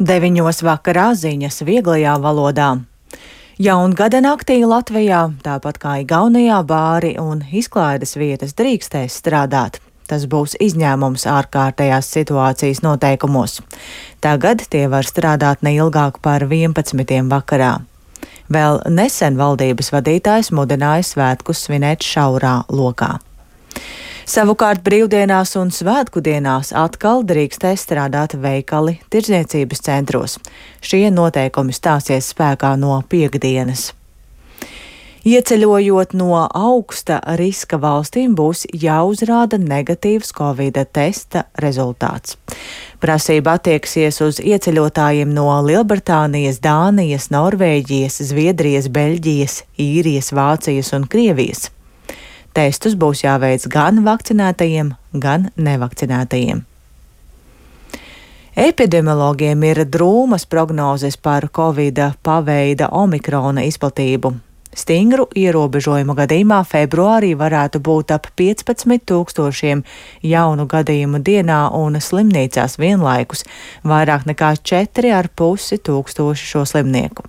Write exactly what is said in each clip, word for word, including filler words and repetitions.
Deviņos vakarā ziņas vieglajā valodā. Jaungada naktī Latvijā, tāpat kā Igaunijā, bāri un izklaides vietas drīkstēs strādāt. Tas būs izņēmums ārkārtējās situācijas noteikumos. Tagad tie var strādāt neilgāk par vienpadsmitiem vakarā. Vēl nesen valdības vadītājs mudināja svētkus svinēt šaurā lokā. Savukārt brīvdienās un svētku dienās atkal drīkstēs strādāt veikali tirdzniecības centros. Šie noteikumi stāsies spēkā no piektdienas. Ieceļojot no augsta riska valstīm būs jāuzrāda negatīvs Covida testa rezultāts. Prasība attieksies uz ieceļotājiem no Lielbritānijas, Dānijas, Norvēģijas, Zviedrijas, Beļģijas, Īrijas, Vācijas un Krievijas. Testus būs jāveic gan vakcinētajiem, gan nevakcinētajiem. Epidemiologiem ir drūmas prognozes par Covida paveida omikrona izplatību. Stingru ierobežojumu gadījumā februārī varētu būt ap piecpadsmit tūkstošiem jaunu gadījumu dienā un slimnīcās vienlaikus vairāk nekā četri ar pusi tūkstoši šo slimnieku.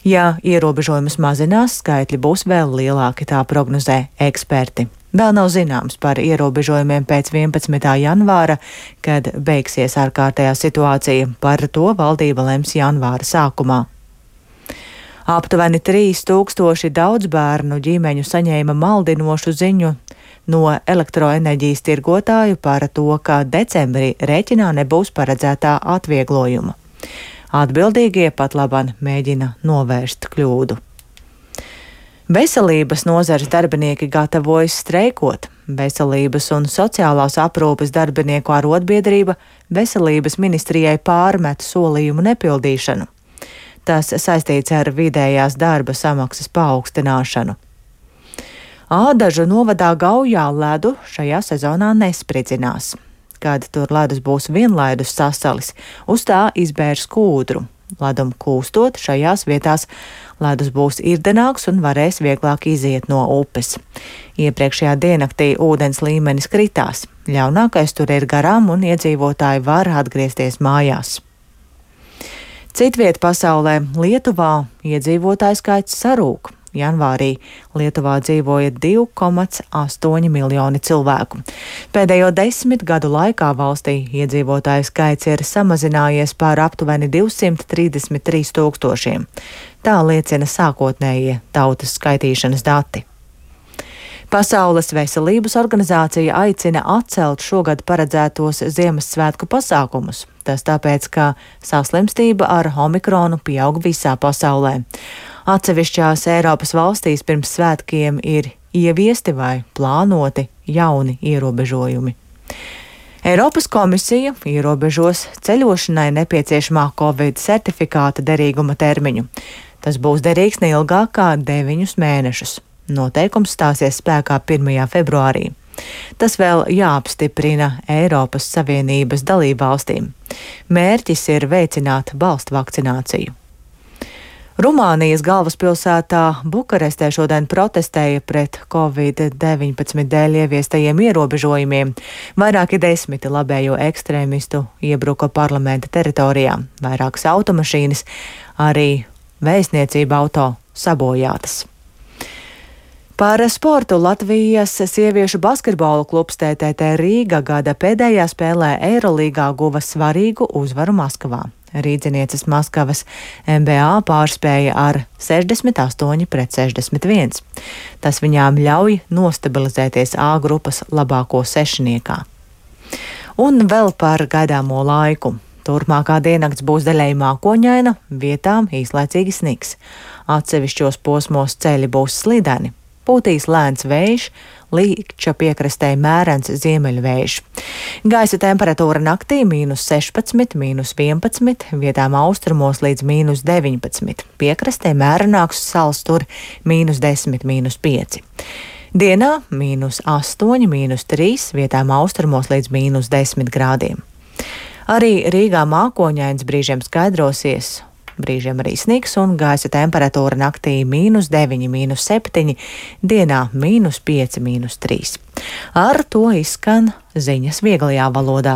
Ja ierobežojumus mazinās, skaitļi būs vēl lielāki, tā prognozē eksperti. Vēl nav zināms par ierobežojumiem pēc vienpadsmitā janvāra, kad beigsies ārkārtējā situācija. Par to valdība lems janvāra sākumā. Aptuveni trīs tūkstoši daudzbērnu ģimeņu saņēma maldinošu ziņu no elektroenerģijas tirgotāju par to, ka decembrī rēķinā nebūs paredzētā atvieglojuma. Atbildīgie pat labāk mēģina novērst kļūdu. Veselības nozares darbinieki gatavojas streikot. Veselības un sociālās aprūpes darbinieku arotbiedrība veselības ministrijai pārmet solījumu nepildīšanu. Tas saistīts ar vidējās darba samaksas paaugstināšanu. Ādažu novadā Gaujā ledu šajā sezonā nespridzinās. Kad tur ledus būs vienlaidus sasalis, uz tā izbērs kūdru. Ledum kūstot, šajās vietās ledus būs irdenāks un varēs vieglāk iziet no upes. Iepriekšējā diennaktī ūdens līmenis kritās. Ļaunākais tur ir garām un iedzīvotāji var atgriezties mājās. Citviet pasaulē, Lietuvā, iedzīvotāju skaits sarūk. Janvārī Lietuvā dzīvoja divi komats astoņi miljoni cilvēku. Pēdējo desmit gadu laikā valstī iedzīvotāju skaits ir samazinājies par aptuveni divsimt trīsdesmit trīs tūkstošiem. Tā liecina sākotnējie tautas skaitīšanas dati. Pasaules veselības organizācija aicina atcelt šogad paredzētos Ziemassvētku pasākumus. Tas tāpēc, ka saslimstība ar omikronu pieaug visā pasaulē. Atsevišķās Eiropas valstīs pirms svētkiem ir ieviesti vai plānoti jauni ierobežojumi. Eiropas komisija ierobežos ceļošanai nepieciešamā Covid certifikāta derīguma termiņu. Tas būs derīgs neilgāk kā deviņus mēnešus. Noteikums stāsies spēkā pirmajā februārī. Tas vēl jāapstiprina Eiropas Savienības dalībvalstīm. Mērķis ir veicināt balstu vakcināciju. Rumānijas galvaspilsētā Bukarestē šodien protestēja pret Covid deviņpadsmit dēļ ieviestajiem ierobežojumiem. Vairāki desmiti labējo ekstrēmistu iebruka parlamenta teritorijā. Vairākas automašīnas, arī vēstniecība auto sabojātas. Par sportu Latvijas sieviešu basketbola klubs T T T Rīga gada pēdējā spēlē Eirolīgā guva svarīgu uzvaru Maskavā. Rīdzinieces Maskavas N B A pārspēja ar sešdesmit astoņi pret sešdesmit viens. Tas viņām ļauj nostabilizēties A grupas labāko sešniekā. Un vēl par gaidāmo laiku. Turpmākā diennakts būs daļēji mākoņaina, vietām īslaicīgi sniks. Atsevišķos posmos ceļi būs slideni. Pūtīs lēns vējš, Līkča piekrastē mērens ziemeļvējš. Gaisa temperatūra naktī mīnus sešpadsmit, mīnus vienpadsmit, vietām austrumos līdz mīnus deviņpadsmit. Piekrastē mērenāks sals tur mīnus desmit, mīnus pieci. Dienā mīnus astoņi, mīnus trīs, vietām austrumos līdz mīnus desmit grādiem. Arī Rīgā mākoņains brīžiem skaidrosies. Brīžiem arī sniks un gaisa temperatūra naktī mīnus deviņi, mīnus septiņi, dienā mīnus pieci, mīnus trīs. Ar to izskan ziņas vieglajā valodā.